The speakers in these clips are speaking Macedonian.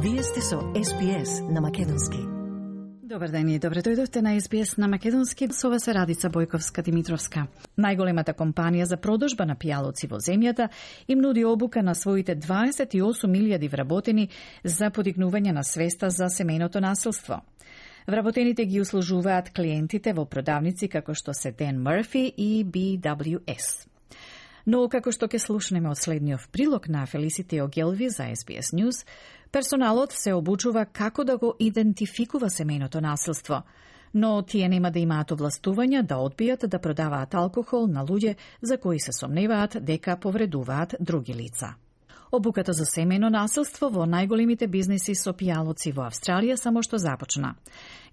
Вие сте со SBS на македонски. Добар ден и добре дојдовте на SBS на македонски. Со вас е Радица Бојковска-Димитровска. Најголемата компанија за продажба на пијалоци во земјата им нуди обука на своите 28.000 вработени за подигнување на свеста за семејното насилство. Вработените ги услужуваат клиентите во продавници како што се Dan Murphy и BWS. Но, како што ќе слушнеме од следниот прилог на Фелисите Огелви за SBS News, персоналот се обучува како да го идентификува семејното насилство, но тие нема да имаат овластувања да одбијат да продаваат алкохол на луѓе за кои се сомневаат дека повредуваат други лица. Обуката за семејно насилство во најголемите бизниси со пијалоци во Австралија само што започна.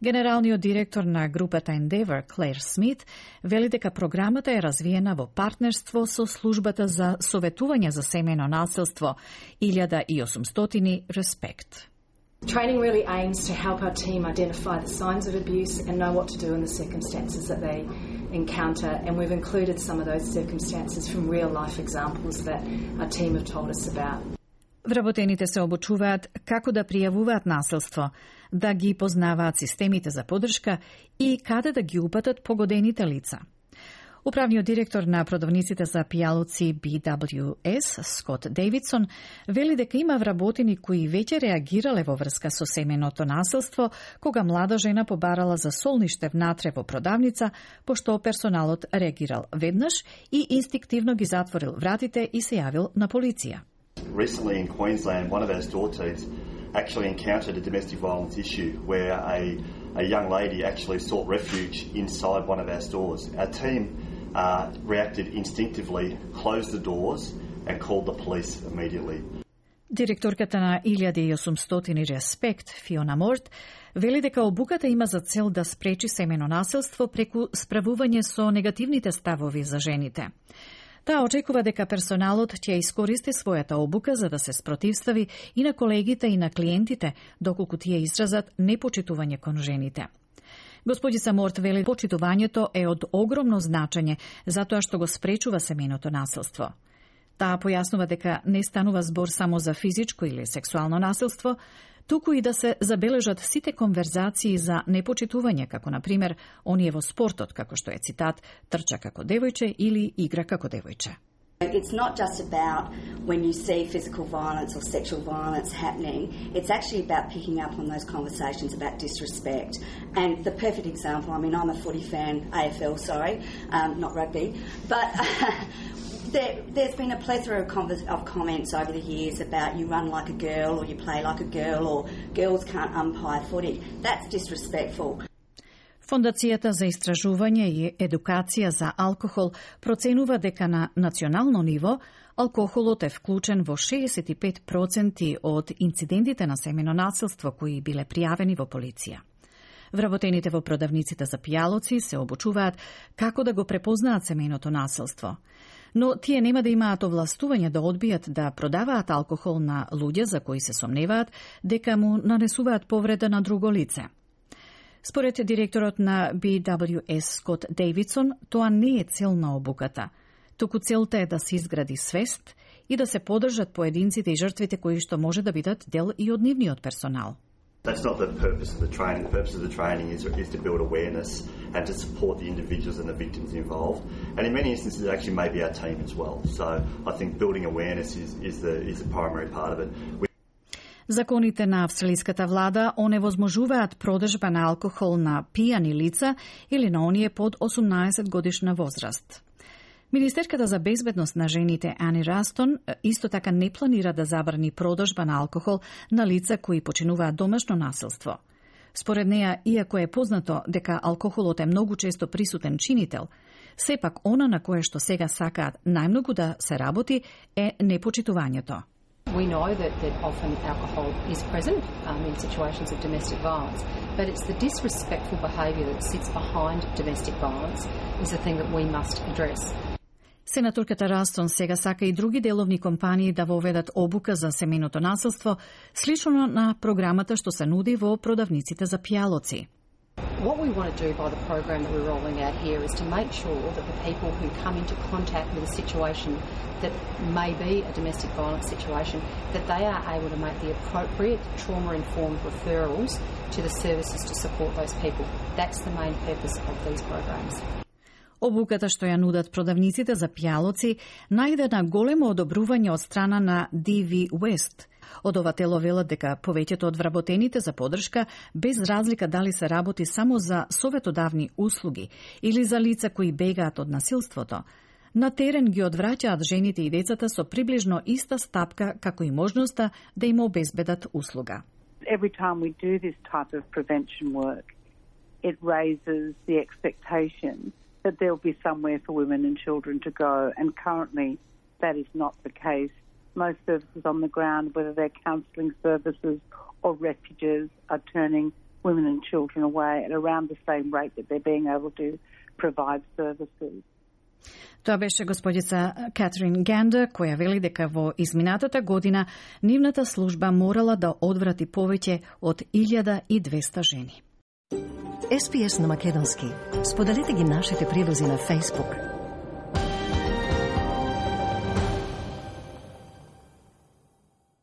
Генералниот директор на групата Endeavour, Клер Смит, вели дека програмата е развиена во партнерство со службата за советување за семејно насилство 1800 Respect. Training really aims to help our team identify the signs of abuse and know what to do in the circumstances that they encounter, and we've included some of those circumstances from real-life examples that our team have told us about. Вработените се обучуваат како да пријавуваат насилство, да ги познаваат системите за поддршка и каде да ги упатат погодените лица. Управниот директор на продавниците за пијалоци BWS, Скот Дейвидсон, вели дека има вработени кои веќе реагирале во врска со семејното насилство, кога млада жена побарала за солниште внатре во продавница, пошто персоналот реагирал веднаш и инстинктивно ги затворил вратите и се јавил на полиција. Recently in Queensland, one of our store teams actually encountered a domestic violence issue where a young lady actually sought refuge inside one of our stores. Our team reacted instinctively, closed the doors and called the police immediately. Директорката на 1800 Respect, Фиона Морт, вели дека обуката има за цел да спречи семејно насилство преку справување со негативните ставови за жените. Таа очекува дека персоналот ќе искористи својата обука за да се спротивстави и на колегите и на клиентите, доколку тие изразат непочитување кон жените. Господица Морт вели почитувањето е од огромно значење затоа што го спречува семејното насилство. Таа појаснува дека не станува збор само за физичко или сексуално насилство, туку и да се забележат сите конверзации за непочитување, како на пример оние во спортот, како што е цитат, трча како девојче или игра како девојче. It's not just about when you see physical violence or sexual violence happening, it's actually about picking up on those conversations about disrespect. And the perfect example, I mean, I'm a footy fan, AFL, not rugby, but there's been a plethora of comments over the years about you run like a girl or you play like a girl or girls can't umpire footy. That's disrespectful. Фондацијата за истражување и едукација за алкохол проценува дека на национално ниво алкохолот е вклучен во 65% од инцидентите на семејно насилство кои биле пријавени во полиција. Вработените во продавниците за пијалоци се обучуваат како да го препознаат семејното насилство. Но тие нема да имаат овластување да одбијат да продаваат алкохол на луѓе за кои се сомневаат дека му нанесуваат повреда на друго лице. Според директорот на BWS Скот Дейвидсон, тоа не е цел на обуката, туку целта е да се изгради свест и да се поддржат поединците и жртвите кои што може да бидат дел и од нивниот персонал. That's not the purpose of the training. The purpose of the training is to build awareness and to support the individuals and the victims involved. And in many instances, it actually may be our team as well. So I think building awareness is the primary part of it. Законите на австралиската влада оневозможуваат продажба на алкохол на пијани лица или на оние под 18 годишна возраст. Министерката за безбедност на жените Ани Растон исто така не планира да забрани продажба на алкохол на лица кои починуваат домашно насилство. Според неа, иако е познато дека алкохолот е многу често присутен чинител, сепак она на кое што сега сакаат најмногу да се работи е непочитувањето. We know that often alcohol is present in situations of domestic violence, but it's the disrespectful behaviour that sits behind domestic violence is the thing that we must address. Сенаторката Растон сега сака и други деловни компании да воведат обука за семејното насилство, слично на програмата што се нуди во продавниците за пијалоци. What we want to do by the program that we're rolling out here is to make sure that the people who come into contact with a situation that may be a domestic violence situation, that they are able to make the appropriate trauma-informed referrals to the services to support those people. That's the main purpose of these programs. Обуката што ја нудат продавниците за пијалоци најде на големо одобрување од страна на DV West. Од ова тело велат дека повеќето од вработените за подршка, без разлика дали се работи само за советодавни услуги или за лица кои бегаат од насилството, на терен ги одвраќаат жените и децата со приближно иста стапка како и можноста да им обезбедат услуга. Every time we do this type of prevention work, it raises the expectation that there'll be somewhere for women and children to go, and currently that is not the case. Most services on the ground, whether they're counselling services or refuges, are turning women and children away at around the same rate that they're being able to provide services. Тоа беше господица Катрин Гендер, која вели дека во изминатата година нивната служба морала да одврати повеќе од 1200 жени. SPS на македонски. Споделете ги нашите прилози на Facebook,